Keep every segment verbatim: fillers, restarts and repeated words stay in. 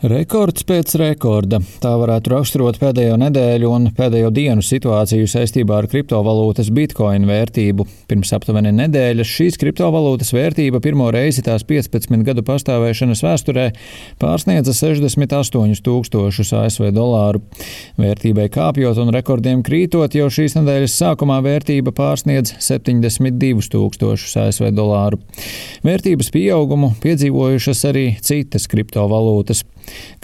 Rekords pēc rekorda. Tā varētu raksturot pēdējo nedēļu un pēdējo dienu situāciju saistībā ar kriptovalūtas bitkoinu vērtību. Pirms aptuveni nedēļas šīs kriptovalūtas vērtība pirmo reizi tās piecpadsmit gadu pastāvēšanas vēsturē pārsniedza sešdesmit astoņus tūkstošus A S V dolāru. Vērtībai kāpjot un rekordiem krītot, jau šīs nedēļas sākumā vērtība pārsniedz septiņdesmit divus tūkstošus A S V dolāru. Vērtības pieaugumu piedzīvojušas arī citas kriptovalūtas.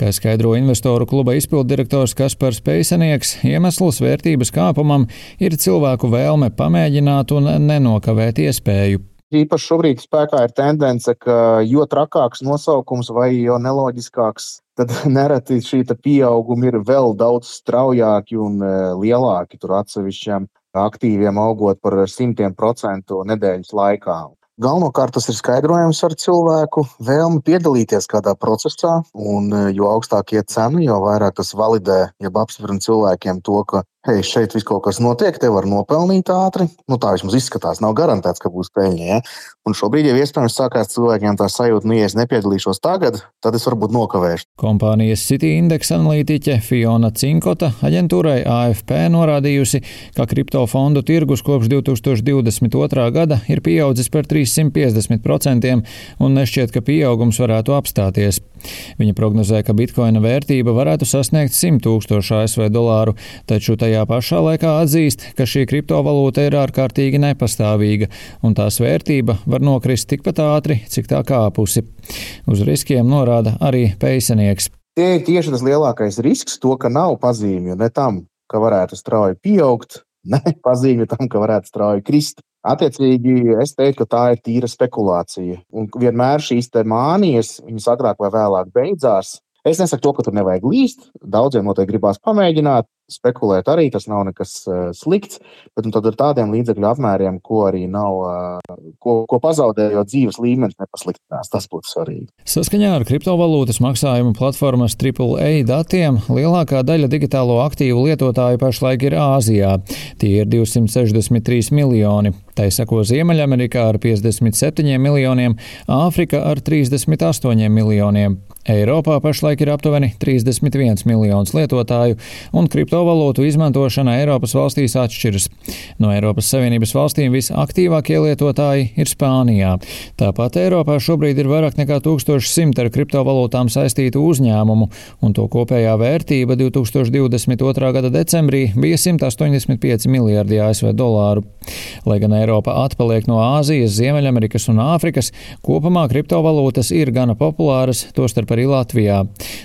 Kā skaidro investoru kluba izpilddirektors Kaspars Peisenieks, iemesls vērtības kāpumam ir cilvēku vēlme pamēģināt un nenokavēt iespēju. Īpaši šobrīd spēkā ir tendence, ka jo trakāks nosaukums vai jo neloģiskāks, tad nereti šī pieauguma ir vēl daudz straujāki un lielāki, tur atsevišķiem aktīviem augot par simtiem procentu nedēļas laikā. Galvenokārt tas ir skaidrojams ar cilvēku vēlmi piedalīties kādā procesā, un jo augstāk iet cena, jo vairāk tas validē, jeb apstiprina cilvēkiem to, ka hei, šeit viss kaut kas notiek, te var nopelnīt ātri. Nu, tā vismaz izskatās, nav garantēts, ka būs peļņa, ja? Un šobrīd jau iespējams sākās cilvēkiem tā sajūta, nu, ja es nepiedalīšos tagad, tad es varbūt nokavēšu. Kompānijas Citi indeksa analītiķe Fiona Cinkota aģentūrai A F P norādījusi, ka kriptofondu tirgus kopš divi tūkstoši divdesmit otrā gada ir pieaudzis par trīssimt piecdesmit procentiem un nešķiet, ka pieaugums varētu apstāties. Viņa prognozē, ka bitkoina vērtība varētu sasniegt simt tūkstošu A S V dolāru, taču tajā pašā laikā atzīst, ka šī kriptovalūta ir ārkārtīgi nepastāvīga un tās vērtība var nokrist tikpat ātri, cik tā kāpusi. Uz riskiem norāda arī Peisenieks. Tie ir tieši tas lielākais risks, to, ka nav pazīmju ne tam, ka varētu strauji pieaugt, ne pazīmju tam, ka varētu strauji krist. Attiecīgi, es teiktu, ka tā ir tīra spekulācija. Un vienmēr šīs te mānijas, viņas agrāk vai vēlāk beidzās. Es nesaku to, ka tur nevajag līst. Daudziem noteikti gribās pamēģināt, spekulēt arī, tas nav nekas uh, slikts, bet nu, tad ar tādiem līdzekļu apmēriem, ko arī nav, uh, ko, ko pazaudējot dzīves līmenis nepasliktinās, tas būtu svarīgi. Saskaņā ar kriptovalūtas maksājumu platformas Triple A datiem lielākā daļa digitālo aktīvu lietotāju pašlaik ir Āzijā. Tie ir divsimt sešdesmit trīs miljoni. Tai seko Ziemeļamerikā ar piecdesmit septiņiem miljoniem, Āfrika ar trīsdesmit astoņiem miljoniem. Eiropā pašlaik ir aptuveni trīsdesmit viens miljons lietotāju, un kriptovalūtu izmantošana Eiropas valstīs atšķiras. No Eiropas Savienības valstīm visaktīvākie lietotāji ir Spānijā. Tāpat Eiropā šobrīd ir vairāk nekā tūkstoš simt ar kriptovalūtām saistītu uzņēmumu, un to kopējā vērtība divi tūkstoši divdesmit otrā gada decembrī bija simt astoņdesmit pieci miljardi A S V dolāru. Lai gan Eiropa atpaliek no Āzijas, Ziemeļamerikas un Āfrikas, kopumā kriptovalūtas ir gana populāras, tostarp arī Latvijā.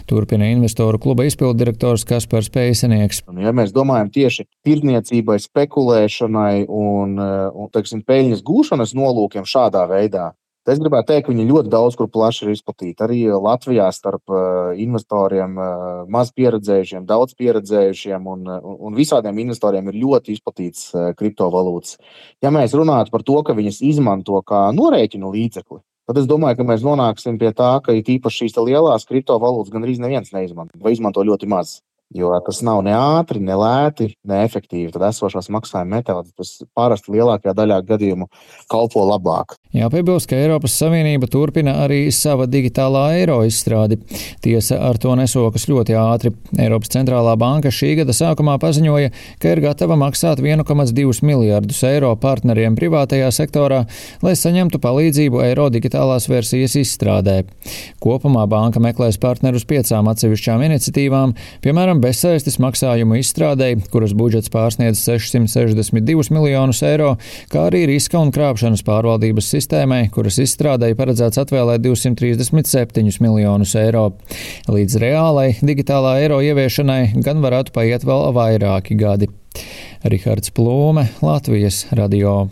Turpina investoru kluba izpilddirektors Kaspars Peisenieks. Ja mēs domājam tieši tirdzniecībai, spekulēšanai un, un teiksim, peļņas gūšanas nolūkiem šādā veidā, tad es gribētu teikt, ka viņi ļoti daudz kur plaši ir izplatīti. Arī Latvijā starp investoriem maz pieredzējušiem, daudz pieredzējušiem un, un visādiem investoriem ir ļoti izplatīts kriptovalūtas. Ja mēs runātu par to, ka viņas izmanto kā norēķinu līdzekli, tad es domāju, ka mēs nonāksim pie tā, ka it īpaši šīs lielās kriptovalūtas gandrīz neviens neizmanto vai izmanto ļoti maz. Jo tas nav ne ātri, ne lēti, ne efektīvi. Tad esošās maksājuma metodes, tas parasti lielākajā daļā gadījumu kalpo labāk. Jāpiebilst, ka Eiropas Savienība turpina arī sava digitālā eiro izstrādi. Tiesa, ar to nesokas ļoti ātri. Eiropas centrālā banka šī gada sākumā paziņoja, ka ir gatava maksāt viens komats divus miljardus eiro partneriem privātajā sektorā, lai saņemtu palīdzību eiro digitālās versijas izstrādē. Kopumā banka meklēs partnerus piecām atsevišķām iniciatīvām, piemēram, bezsaistes maksājumu izstrādei, kuras budžets pārsniedz sešsimt sešdesmit divus miljonus eiro, kā arī riska un krāpšanas pārvaldības sistēmai, kuras izstrādei paredzēts atvēlēt divsimt trīsdesmit septiņus miljonus eiro. Līdz reālai digitālā eiro ieviešanai gan varētu paiet vēl vairāki gadi. Rihards Plūme, Latvijas radio.